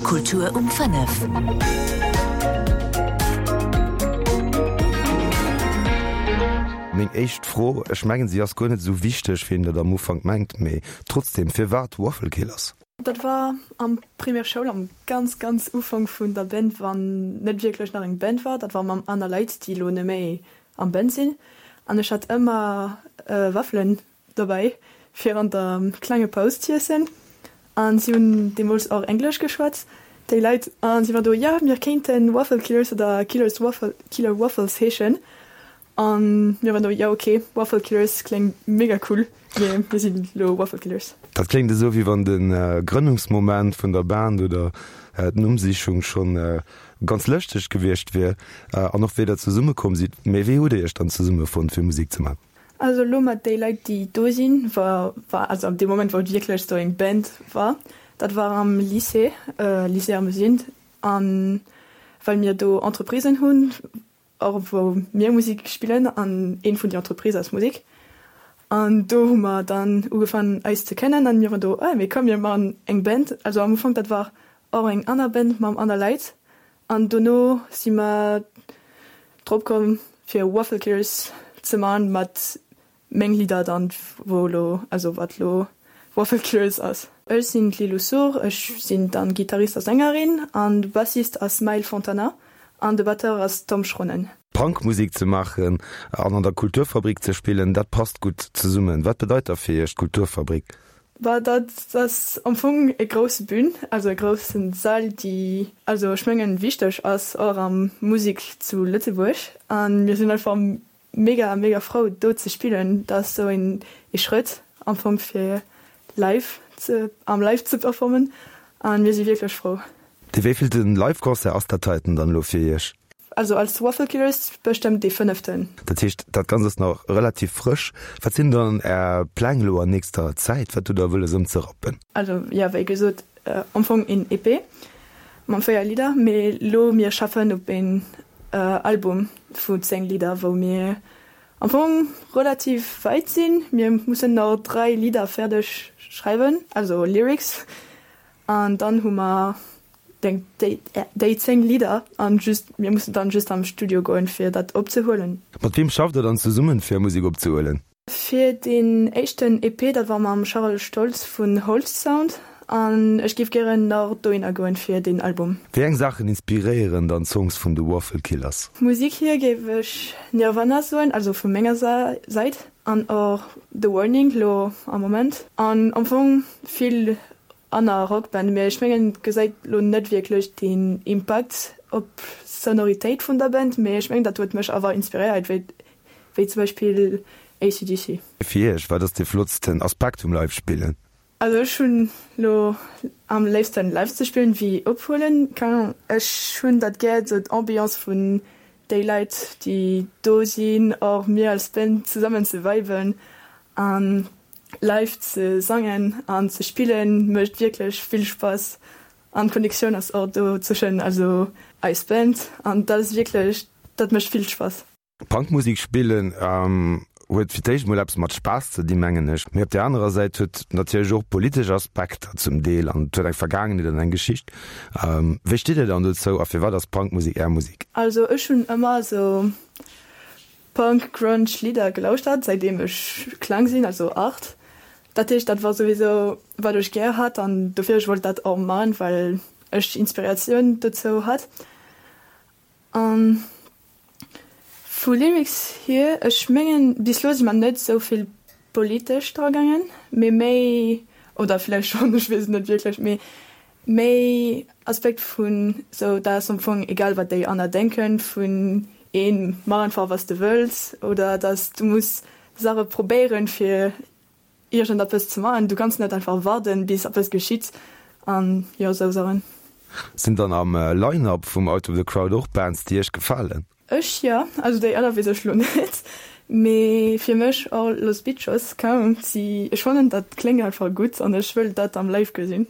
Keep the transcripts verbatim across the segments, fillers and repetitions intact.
Kultur um fënnef. Meng éischt Fro, ech mengen si ass guer net esou wichteg wéi een dat am Ufank mengt, mee trotzdem, firwat Waffle Killers? Dat war am Primaire Schoul am ganz ganz Ufank vun der Band, wann net wierklech nach eng Band war. Dat war mam aner Leit, déi elo net méi am Band sinn. An ech hat ëmmer Waffelen dobäi fir an der klenge Paus z'iessen. An si hunn deemools och Englesch geschwat, déi Leit. An si war do, jo, mir kéinten Waffle Killers oder Killers Waffle, Killer Waffles heeschen. An mir waren do, jo, ok, Waffle Killers kléngt mega cool, mee mir sinn elo Waffle Killers. Dat kléngt esou, wéi wann de Grënnungsmoment vun der Band oder d'Nummsichung schonn ganz lëschteg gewiescht wier. An och wéi der zesummekomm sidd. Mee wéi hutt Dir Iech dann zesummefonnt fir Musek ze man? Also elo mat déi Leit déi do sinn, war war also ab deem Moment wou et wierklech sou eng Band war, dat war am Lycée, Lycée Ermesinde, an well mir do Entreprisen hunn, och wou mir Musek spillen an een vun déi Entreprises ass Musek. An do hu mer dann ugefaangen eis ze kennen an mir waren do, ah mee komm mir maachen eng Band. Also am Ufank dat war och eng aner Band mam aner Leit an dono si mer drop komm fir Waffle Killers ze man mat meng Lidder dann wou lo also wat lo Waffle Killers ass. Ech sinn d'Lilou Sour, ech sinn dann Gittarist a Sängerin an de Bassist ass Maël Fontana an de Batteur ass Tom Schronnen. Punkmusek ze maachen an an der Kulturfabrik ze spillen, dat passt gutt zesummen. Wat bedeit da fir Iech d'Kulturfabrik? Bah dat ass am Fong e grousse Bün, also e groussen Sall, déi also ech mengen wichteg ass och am Musek zu Lëtzebuerg an mir sinn einfach mega mega frou do ze spillen. Dat ass sou een ee Schrëtt am Fong fir live ze am live ze performen an mir si wierklech frou. Dee wéivillten Live-Concert ass dat heiten dann elo fir Iech? Also als Waffle Killers bestëmmt dee fënneften. Dat heescht, dat Ganzt ass nach relativ frësch. Wat sinn dann Är Pläng elo an nächster Zäit? Wat hutt Der wëlles ëmzerappen? Also jo, wéi gesot, am Fong een EP mam véier Lidder, mee elo mir schaffen op een Album vu zéng Lidder, wou mir am Fong relativ wäit sinn. Mir mussen nach dräi Lidder fäerdeg schreiwen, also Lyrics, an dann hu mer déi déi zéng Lidder an just mir mussen dann just am Studio goen fir dat opzehuelen. Mat weem schafft der dann zesummen fir Musek opzehuelen? Fir deen éischten EP, dat war mam Charel Stoltz vun Holst Sound an ech géif gären nach dohinner goen fir deen Album. Wéi eng Saachen inspiréieren dann d'Songs vun de Waffle Killers? Musik hier géif ech Nirvana soen, also vu menger Säit an och The Warning lo am Moment an am Fong vill aner Rockband, mee ech mengen et gesäit lo net wierklech den Impakt op Sonoritéit vun der Band, mee ech mengen dat huet mech awer inspiréiert, wéi wéi zum Beispill ACDC. Fir iech, wat ass dee flottsten Aspekt vum Live spillen? Also ech hunn lo am léifsten live ze spillen wéi ophuelen, keng Ahnung, ech hunn dat gär sou d'Ambiance vun déi Leit déi do sinn, och mir als Band zesammen ze viben an live ze sangen an ze spillen mécht wierklech vill Spass an d'Connectioun ass och do zwëschen also eis Band an dat ass wierklech, dat mécht vill Spass. Punkmusek spillen huet fir d'éischt mol eppes mat Spaass ze dinn, mengen ech. Mee op där anerer Säit huet et natierlech och politesch Aspekter zum Deel an et huet eng Vergaangenheet an eng Geschicht. Wéi steet Dir dann dozou a firwat ass Punkmusek Är Musek? Also ech hunn ëmmer esou Punk, Grunge Lidder gelauschtert säitdeem ech kleng sinn, also aacht. Dat heescht dat war souwisou wat ech gär hat an dofir ech wollt dat och man, well ech Inspiratioun dozou hat. An vu Lyrics hier, ech mengen bis elo si mer net sou vill politesch dra gaangen, mee méi, oder vläicht schonn, ech weess et net wierklech, mee méi Aspekt vun sou dat ass am Fong egal wat déi aner denken, vun een mach einfach wat s de wëlls oder dass du muss Saache probéieren fir iergendeppes ze maachen, du kanns net einfach warden bis eppes geschitt an jo sou Saachen. Sinn dann am Line-Up vum Out of the Crowd och Bands déi iech gefalen? Ech jo, also déi aner weess ech lo net, mee fir mech och Los Bitchos, keng Ahnung, si ech fannen dat kléngt einfach gutt an ech wëll dat am Live gesinn.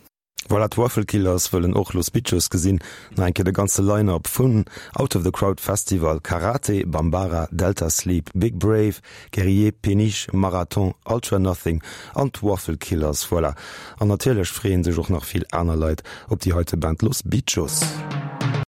Voilà, d'Waffle Killers wëllen och Los Bitchos gesinn. Nach eng Kéier de ganze Line-Up vun Out of the Crowd Festival, Karate, Bambara, Delta Sleep, Big Brave, Guerrier, Péniche, Marathon, Ultra Nothing an d'Waffle Killers. Voilà. An natierlech freeën sech och nach vill aner Leit op déi heite Band Los Bitchos.